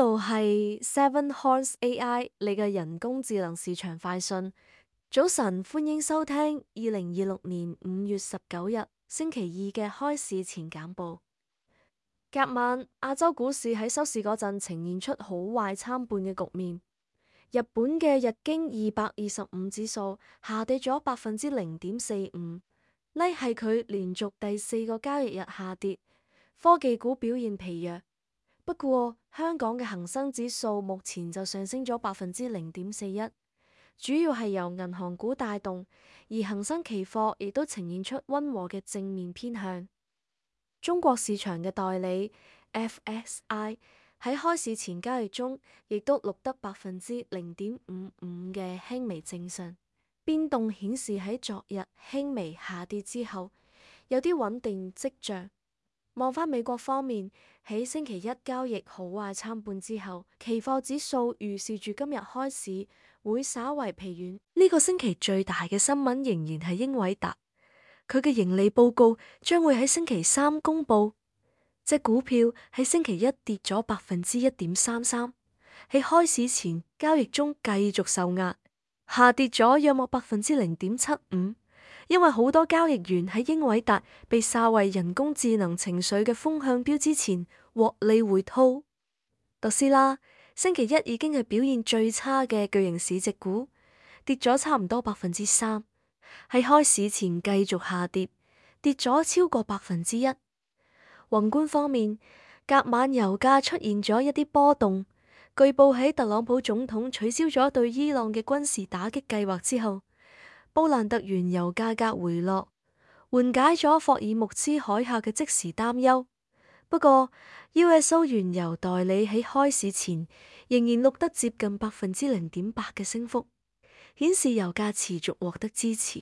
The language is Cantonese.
度係 Seven Horse AI，你嘅人工智能市場快訊。早晨，歡迎收聽2026年5月19日星期二嘅開市前簡報。隔晚，亞洲股市喺收市嗰陣呈現出好壞參半嘅局面。日本嘅日經225指數下跌咗0.45%，呢係佢連續第4個交易日下跌。科技股表現疲弱。不過，香港嘅恒生指數目前就上升咗0.41%，主要係由銀行股帶動，而恒生期貨亦都呈現出溫和嘅正面偏向。中國市場嘅代理 FSI 喺開市前交易中，亦都錄得0.55%嘅輕微正常，變動顯示喺昨日輕微下跌之後，有啲穩定跡象。望返美國方面，喺星期一交易好壞參半之後，期貨指數預示住今日開市會稍為疲軟。呢個星期最大嘅新聞仍然係英偉達，佢嘅盈利報告將會喺星期三公佈。隻股票喺星期一跌咗1.33%，喺開市前交易中繼續受壓，下跌咗約莫0.75%。因為好多交易員喺英偉達被視為人工智能情緒嘅風向標之前獲利回吐。特斯拉星期一已經係表現最差嘅巨型市值股，跌咗差唔多3%，喺開市前繼續下跌，跌咗超過1%。宏觀方面，隔晚油價出現咗一啲波動，據報喺特朗普總統取消咗對伊朗嘅軍事打擊計劃之後，布蘭特原油價格回落，緩解咗霍爾木茲海峽嘅即時擔憂。不過，USO 原油代理喺開市前仍然錄得接近0.8%嘅升幅，顯示油價持續獲得支持。